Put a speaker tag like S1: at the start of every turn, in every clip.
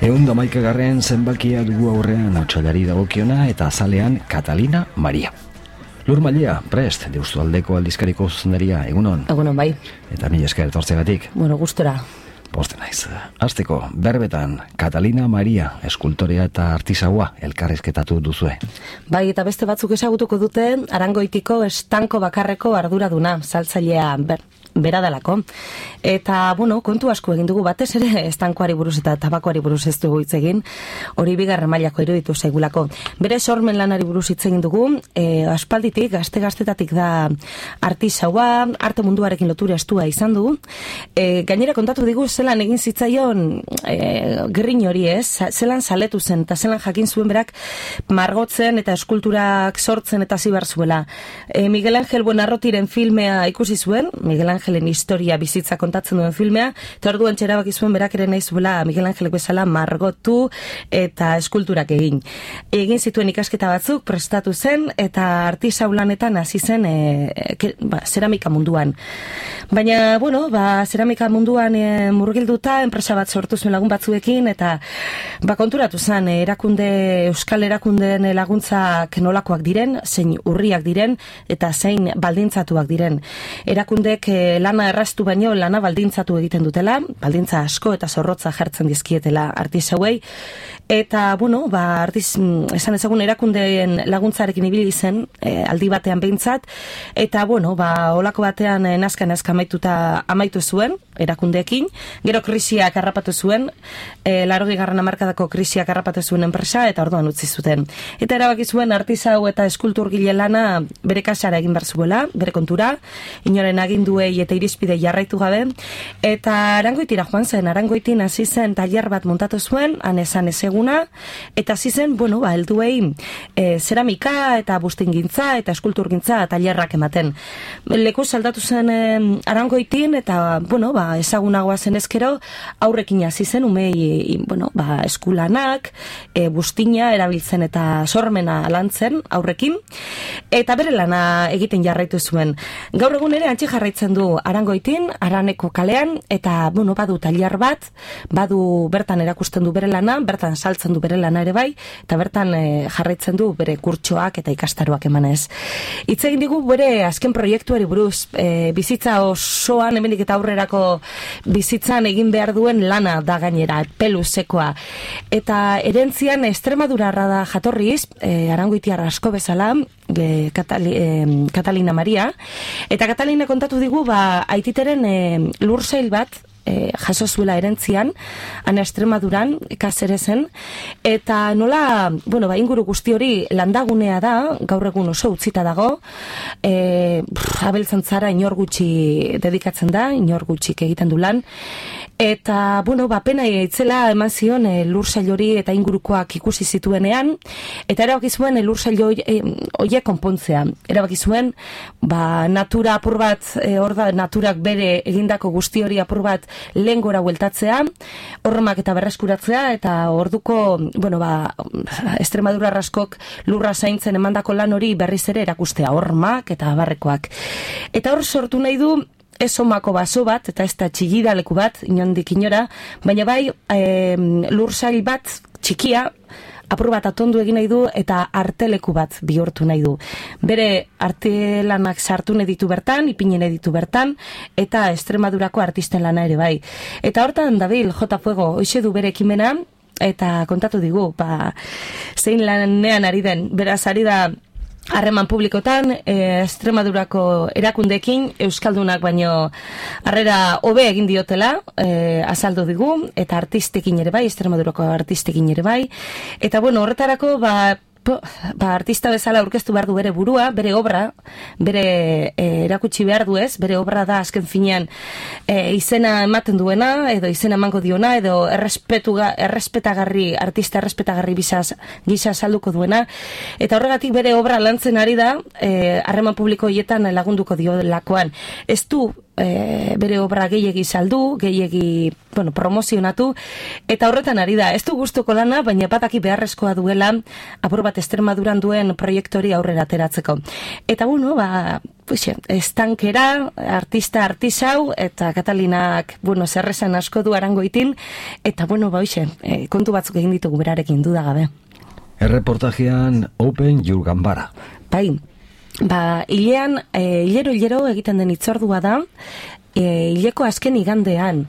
S1: 111. zenbakia dugu aurrean otsailari dagokiona eta azalean Catalina Maria. Lur Mailea, prest, Deustualdeko aldizkariko zuzendaria, egunon?
S2: Egunon, bai.
S1: Eta mila esker etortzegatik.
S2: Bueno, gustora.
S1: Poste naiz. Hasteko, berbetan, Catalina Maria, eskultorea eta artisaua elkarrizketatu duzue.
S2: Bai, eta beste batzuk ezagutuko dute, Arangoitiko estanko bakarreko arduraduna, saltzailea bera dalako. Eta, bueno, kontu asko egin dugu batez ere, estankoari buruz eta tabakoari buruz ez dugu hitz egin, hori bigarren mailako iruditu zaigulako. Bere sormen lanari buruz hitz egin dugu, aspalditik, gaztetatik da artisaua, arte munduarekin lotura estua izan du. Gainera kontatu digu, zelan egin zitzaion gerrin hori ez, zelan saletu zen, eta zelan jakin zuen berak margotzen eta eskulturak sortzen eta zibar zuela. Miguel Ángel Buenarrotiren filmea ikusi zuen, Miguel Ángelen historia bizitza kontatzen duen filmea, eta orduan txerabaki zuen berak ere nahi zuela Miguel Ángelek bezala margotu eta eskulturak egin. Egin zituen ikasketa batzuk, prestatu zen, eta artisau lanetan hasi zen zeramika munduan. Baina, bueno, zeramika munduan murgilduta, enpresa bat sortu zuen lagun batzuekin, eta konturatu zen, euskal erakundeen laguntzak nolakoak diren, zein urriak diren, eta zein baldintzatuak diren. Erakundek lana erraztu baino lana baldintzatu egiten dutela, baldintza asko eta zorrotza jartzen dizkietela artisauei, eta, bueno, esan ezagun erakundeen laguntzarekin ibili zen, aldi batean behintzat, eta, bueno, olako batean nazka amaitu zuen, erakundeekin, gero krisiak harrapatu zuen, 80. hamarkadako krisiak harrapatu zuen enpresa, eta orduan utzi zuten. Eta erabaki zuen artisau eta eskulturgile lana bere kasara egin behar zuela, bere kontura, inoren aginduei eta irizpide jarraitu gabe, eta Arangoitira joan zen, Arangoitin hasi zen tailer bat montatu zuen, han esan ezeguna, eta hasi zen, bueno, helduei zeramika eta bustingintza eta eskulturgintza tailerrak ematen. Leku saldatu zen Arangoitin, eta, bueno, ezagunagoa zen ezkero, aurrekin hasi zen, umei, bueno, eskulanak, bustina erabiltzen eta sormena lantzen aurrekin, eta bere lana egiten jarraitu zuen. Gaur egun ere antxe jarraitzen du Arangoitin, Araneko kalean, eta, bueno, badu tailer bat, bertan erakusten du bere lana, bertan saltzen du bere lana ere bai, eta bertan jarraitzen du bere kurtsoak eta ikastaroak emanez. Hitz egin digu bere azken proiektuari buruz, bizitza osoan, hemendik eta aurrerako bizitzan egin behar duen lana da gainera, peluzekoa. Eta erentzian Extremadurarra da jatorriz, Arangoitiar asko bezala, Catalina Maria, eta Catalina kontatu digu, aititeren lursail bat jaso zuela erentzian, ana Extremaduran, Kazerezen, eta nola, bueno, inguru guzti hori landagunea da, gaur egun oso utzita dago, abeltzantzara inor gutxi dedikatzen da, inor gutxik egiten du lan, eta, bueno, pena itzela eman zion lursail hori eta ingurukoak ikusi zituenean, eta erabaki zuen lursail horiek konpontzea. Erabaki zuen, natura apur bat, naturak bere egindako guzti hori apur bat lehen gora bueltatzea, horremak eta berreskuratzea, eta orduko, bueno, Extremadura raskok lurra zaintzen emandako lan hori berriz ere erakustea, horremak eta barrekoak. Eta hor sortu nahi du, ez omako baso bat, eta ez da txigidaleku bat, inondik inora, baina bai lursail bat txikia, apur bat atondu egin nahi du, eta arteleku bat bihurtu nahi du. Bere artelanak sartu nahi ditu bertan, ipinen ditu bertan, eta Extremadurako artisten lana ere bai. Eta hortan dabil, J. Fuego, hoxe du bere ekimena, eta kontatu digu, zein lanean ari den, beraz ari da, harreman publikotan, Extremadurako erakundekin, euskaldunak baino harrera hobe egin diotela, azaldu digu, eta artistekin ere bai, Extremadurako artistekin ere bai, eta bueno, horretarako, artista bezala aurkeztu behar du bere burua, bere obra, bere erakutsi behar du ez, bere obra da azken finean izena ematen duena, edo izena emango diona, edo errespetagarri, artista errespetagarri gisa salduko duena, eta horregatik bere obra lantzen ari da, harreman publiko hietan lagunduko dio lakoan. Ez du bere obra gehiegi saldu, gehiegi, bueno, promozionatu, eta horretan ari da, ez du gustuko lana, baina bataki beharrezkoa duela, apur bat Extremaduran duen proiektori aurrera ateratzeko. Eta bueno, estankera, artisau, eta Katalinak, zerrezan asko du Arangoitin, eta, kontu batzuk egin ditugu berarekin dudagabe.
S1: Erreportajean Open Your Ganbara.
S2: Bai, hilean, hilero egiten den hitzordua da, hileko azken igandean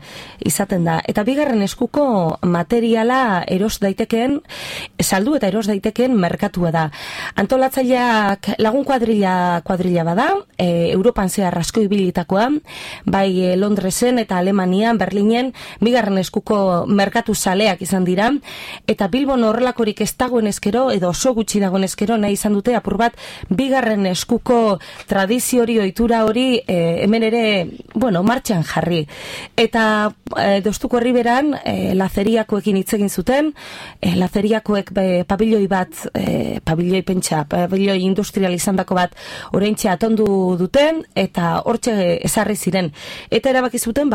S2: izaten da. Eta bigarren eskuko materiala eros daitekeen, saldu eta eros daitekeen merkatua da. Antolatzaileak lagun kuadrilla bada, Europan zehar asko ibilitakoa, bai Londresen eta Alemanian, Berlinen, bigarren eskuko merkatu zaleak izan dira, eta Bilbon horrelakorik ez dagoen eskero, edo oso gutxi dagoen eskero, nahi izan dute apur bat, bigarren eskuko tradizio hori, ohitura hori, hemen ere, martxan jarri. Eta Deustuko Herriberan lazeriakoekin hitz egin zuten, lazeriakoek pabilloi industrial izandako bat oraintxe atondu duten, eta hortxe ezarri ziren. Eta erabaki zuten,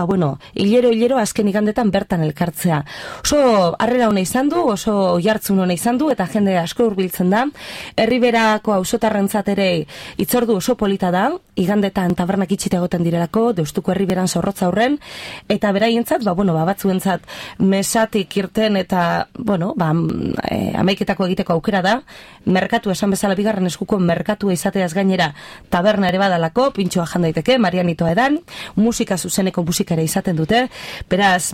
S2: hilero azken igandetan bertan elkartzea. Oso harrera hona izan du, oso jartzun hona izan du, eta jende asko hurbiltzen da. Herriberako auzotarrentzat ere hitzordu oso polita da, igandetan tabernak itxita egoten direlako, Deustuko Herriberan zorrotza horren, eta beraientzat, batzuentzat mesatik irten eta, amaiketako egiteko aukera da, merkatu esan bezala bigarren eskuko merkatua izateaz gainera taberna ere badalako, pintxoa jan daiteke, Marianitoa edan, musika zuzeneko musikara izaten dute, beraz,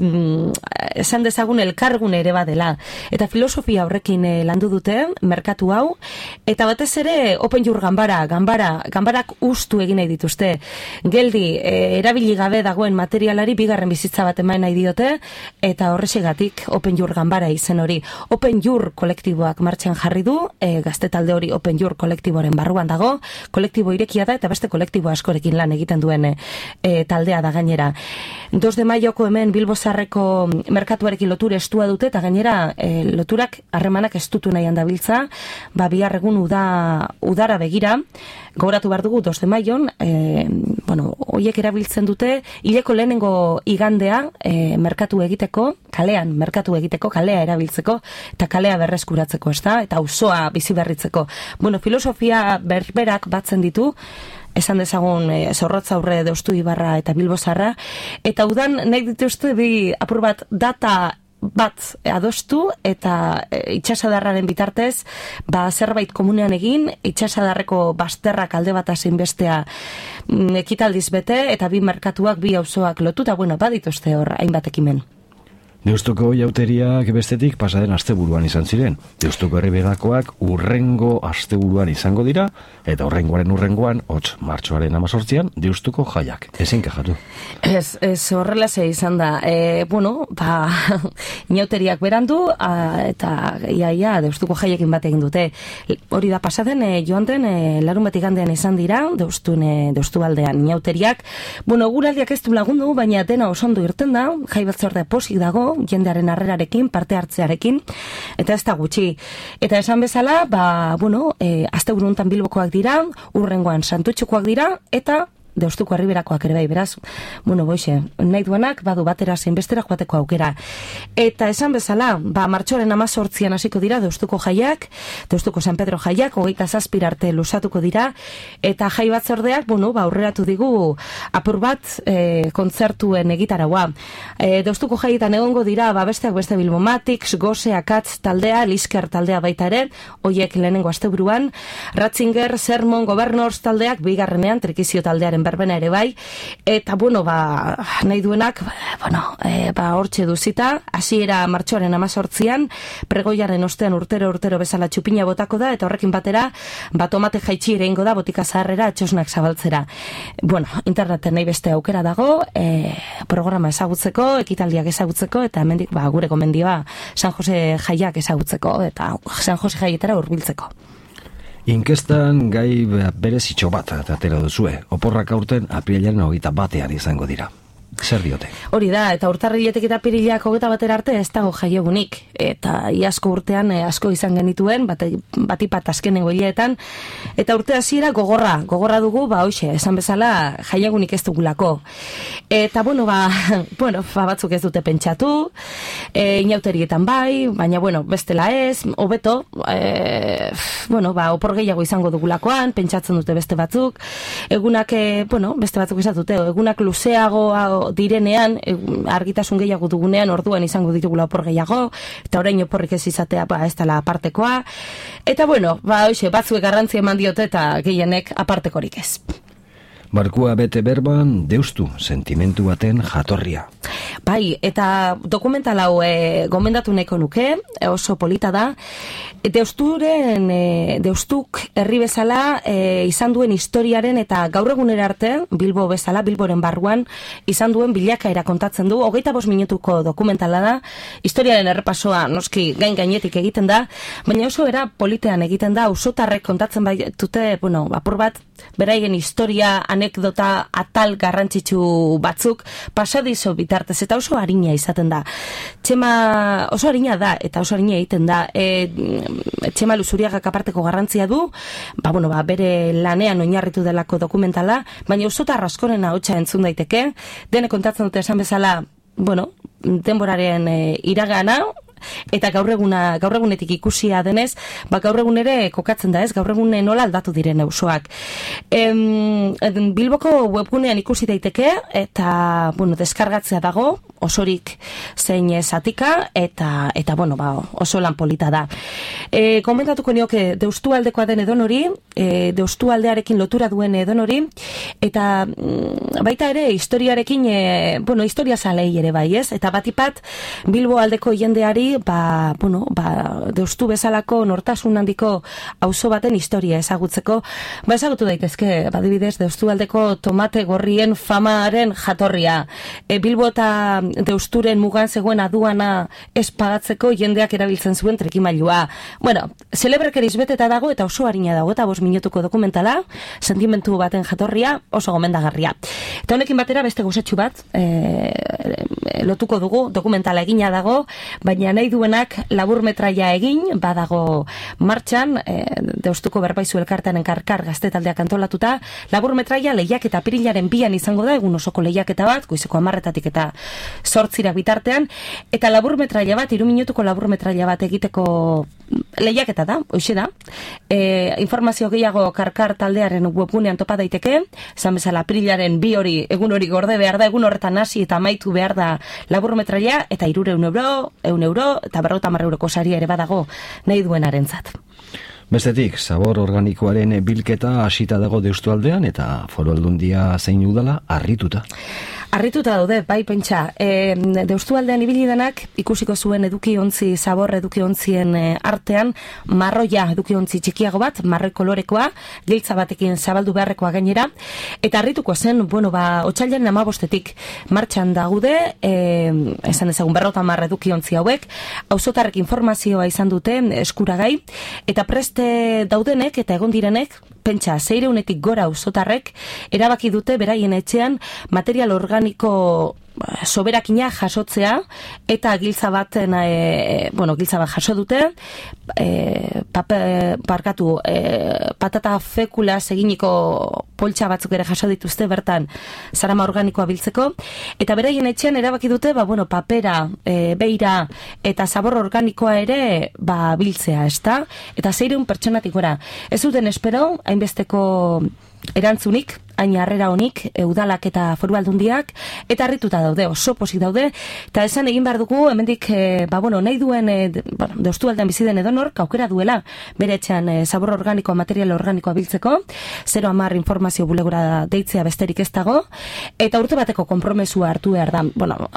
S2: esan dezagun elkargune ere badela. Eta filosofia horrekin landu dute, merkatu hau, eta batez ere Open Your Ganbara, ganbarak ustu egin nahi dituzte. Geldi, erabili gabe dagoen materialari bigarren bizitza bat eman nahi diote, eta horrexegatik Open Your Ganbara izen hori. Open Your kolektiboak martxan jarri du, gazte talde hori Open Your kolektiboren barruan dago, kolektibo irekia da, eta beste kolektibo askorekin lan egiten duen taldea da gainera. 2 de maioko hemen Bilbozarreko merkatuarekin lotura estua dute, eta gainera loturak harremanak estutu nahian dabiltza, bihar egun udara begira, gogoratu behar dugu 2 de maion, hoiek erabiltzen dute, hileko lehenengo igandea merkatu egiteko, kalea erabiltzeko, eta kalea berreskuratzeko, eta auzoa bizi berritzeko. Filosofia berberak batzen ditu, esan dezagun Zorrotza Aurre, Deustu Ibarra eta Bilbozarra, eta udan nahi dituzte bi apur bat data bat adostu eta itxasadarraren bitartez zerbait komunean egin, itxasadarreko bazterrak alde bat zein bestea ekitaldiz bete, eta bi merkatuak, bi auzoak lotuta, badituzte hor hainbat ekimen.
S1: Deustuko jauteriak bestetik pasaden asteburuan izan ziren. Deustuko Herriberakoak urrengo asteburuan izango dira, eta urrengoan, martxoaren 18an, Deustuko jaiak. Ezin kajatu.
S2: Ez horrela ze izan da. Inauteriak berandu, eta iaia Deustuko jaiekin bat egin dute. Hori da pasaden, joan den, larun bat igandean izan dira, Deustu aldean inauteriak. Guraldiak ez du lagundu, baina dena osondo irten da, jai batzorde posik dago, jendearen harrerarekin, parte hartzearekin, eta ez da gutxi. Eta esan bezala, asteburu honetan Bilbokoak dira, urrengoan Santutxukoak dira, eta Deustuko Herriberakoak ere bai, beraz, nahi duenak, badu batera zein bestera joateko aukera. Eta esan bezala, martxoaren 18an hasiko dira Deustuko jaiak, Deustuko San Pedro jaiak, 27 arte lusatuko dira, eta jai batzordeak, aurreratu digu apur bat kontzertuen egitaraua. Deustuko jaietan egongo dira, besteak beste Bilbomatics, Gose, Akatz taldea, Lisker taldea baita ere, hoiek lehenengo asteburuan, Ratzinger, Sermon, Governors taldeak, bigarrenean, Trikizio taldearen berbena ere bai, eta nahi duenak, hortxe duzita, hasiera martxoaren 18an, pregoiaren ostean urtero bezala txupina botako da, eta horrekin batera, tomate jaitsi ere ingo da, botika zaharrera, txosnak zabaltzera. Interneten nahi beste aukera dago, programa ezagutzeko, ekitaldiak ezagutzeko, eta hemendik gure gomendioa San Jose jaiak ezagutzeko, eta San Jose jaietara hurbiltzeko.
S1: Inkestan gai berezitxo bat atera duzue. Oporrak aurten apirilaren 21 izango dira. Zer diote?
S2: Hori da, eta urtarriletik eta pirilak 21 arte ez dago jaiegunik. Eta iazko urtean asko izan genituen, batipat azkenengo hileetan. Eta urte hasiera gogorra dugu, hoxe, esan bezala jaiegunik ez dugulako. Eta batzuk ez dute pentsatu, inauterietan bai, baina bestela ez, hobeto, opor gehiago izango dugulakoan, pentsatzen dute beste batzuk, egunak, beste batzuk esatute, egunak luzeago direnean, argitasun gehiago dugunean, orduan izango ditugula opor gehiago, eta orain oporrik ez izatea, ez dela apartekoa, eta batzuek garrantzia eman diote eta gehienek apartekorik ez.
S1: Barkua bete berban, deustu sentimentu baten jatorria.
S2: Bai, eta dokumental hau gomendatu nahiko nuke, oso polita da. Deustuk herri bezala izan duen historiaren eta gaur egunera arte, Bilbo bezala, Bilboren barruan, izan duen bilakaera kontatzen du. 25 minutuko dokumentala da, historiaren errepasoa noski gainetik egiten da, baina oso era politean egiten da, auzotarrek kontatzen baitute, apur bat, beraien historia, anekdota atal garrantzitsu batzuk pasadizo bitartez, eta oso harina izaten da. Oso harina da, eta oso harina egiten da. Txema Luzuriagak aparteko garrantzia du, bere lanean oinarritu delako dokumentala, baina auzotar askoren ahotsa entzun daiteke, denek kontatzen dute esan bezala, denboraren iragana, eta gaur egunetik ikusia denez, gaur egun ere kokatzen da ez, gaur egun nola aldatu diren auzoak. Bilboko webgunean ikusi daiteke, eta, deskargatzea dago, osorik zein zatika, eta oso lan polita da. Komentatuko nioke, Deustu aldekoa den edonori, Deustu aldearekin lotura duen edonori, eta baita ere, historiarekin, historia zalei ere bai ez, eta batipat, Bilbo aldeko jendeari, Deustu bezalako nortasun handiko auzo baten historia ezagutzeko, ezagutu daitezke, adibidez, Deustu aldeko tomate gorrien famaren jatorria. Bilbo eta Deusturen mugan zegoen aduana ez pagatzeko jendeak erabiltzen zuen trekimailua. Celebrekeriz beteta dago eta oso harina dago, eta 5 minutuko dokumentala, sentimentu baten jatorria, oso gomendagarria. Eta honekin batera beste gozatxu bat, lotuko dugu, dokumentala egina dago, baina nahi duenak laburmetraia egin, badago martxan, Deustuko Berbaizu elkartean karkar gaztetaldeak antolatuta, laburmetraia lehiak eta pirilaren 2an izango da, egun osoko lehiaketa bat, goizeko 10 eta 8 bitartean, eta laburmetraia bat, 3 minutuko laburmetraia bat egiteko lehiaketa da, hoxe da. Informazio gehiago karkar taldearen webgunean topa daiteke, esan bezala pirilaren 2 hori, egun hori gorde behar da, egun horretan hasi eta amaitu behar da laburmetraia, eta 300 euro, eta 50 euroko saria ere badago nahi duenarentzat.
S1: Bestetik, zabor organikoaren bilketa hasita dago Deustu aldean, eta Foru Aldundia zein udala harrituta.
S2: Harrituta daude, bai pentsa. Deustu aldean ibili denak ikusiko zuen edukiontzi, zabor edukiontzien artean, marroia edukiontzi txikiago bat, marroi kolorekoa, giltza batekin zabaldu beharrekoa gainera, eta harrituko zen, otsailaren 15etik martxan daude, esan ezagun 50 edukiontzi hauek, auzotarrek informazioa izan dute eskuragai, eta preste daudenek eta egon direnek, pentsa, 600etik gora auzotarrek erabaki dute beraien etxean material organiko soberakina jasotzea, eta giltza bat jaso dute, patata fekula eginiko poltsa batzuk ere jaso dituzte bertan zarama organikoa biltzeko, eta beraien etxean erabaki dute, papera, beira eta zabor organikoa ere biltzea, ezta? Eta 600 pertsonatik gora. Ez duten espero, hainbesteko erantzunik, hain harrera honik, udalak eta Foru Aldundiak, eta harrituta daude, oso pozik daude, eta esan egin behar dugu, hemendik, nahi duen, Deustu aldean bizi den edonork, aukera duela, bere etxean zabor organikoa, material organikoa biltzeko, 010 informazio bulegora deitzea besterik ez dago, eta urte bateko konpromesua hartu behar da.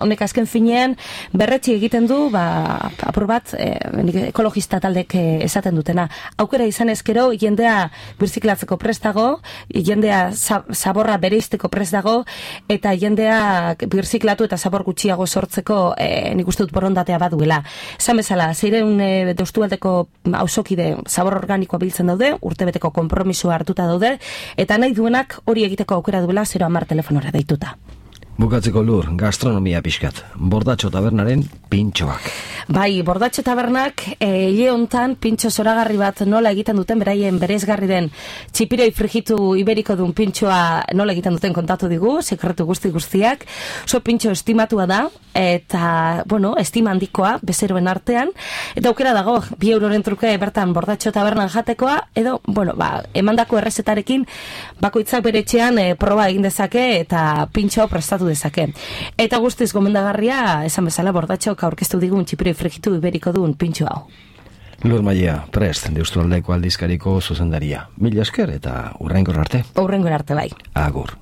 S2: Honek azken finean, berretxi egiten du, apur bat, ekologista taldek esaten dutena. Aukera izan ezkero, jendea birziklatzeko prest dago, jendea zaborra bereizteko prest dago, eta jendea birziklatu eta zabor gutxiago sortzeko nik uste dut borondatea baduela. Esan bezala, 600 Deustu aldeko auzokide zabor organikoa biltzen daude, urtebeteko konpromisoa hartuta daude, eta nahi duenak hori egiteko aukera duela 010 telefonora deituta.
S1: Bukatzeko Lur, gastronomia pixkat. Bordatxo tabernaren pintxoak.
S2: Bai, Bordatxo tabernak hile hontan pintxo zoragarri bat nola egiten duten, beraien bereizgarri den txipiroi frigitu iberiko duen pintxoa nola egiten duten kontatu digu, sekretu guztiak. Oso pintxo estimatua da, eta, bueno, estima handikoa, bezeroen artean. Eta aukera dago, 2 euroren truke bertan Bordatxo tabernan jatekoa, edo, bueno, emandako errezetarekin bakoitzak bere etxean proba egin dezake eta pintxo prestatu dezake. Eta guztiz gomendagarria, esan bezala Bordatxok aurkeztu digun txipiroi frigitu iberiko duen pintxo hau.
S1: Lur Maia, prest, Deusturaldeko aldizkariko zuzendaria. Mila esker eta hurrengor arte.
S2: Hurrengor arte bai.
S1: Agur.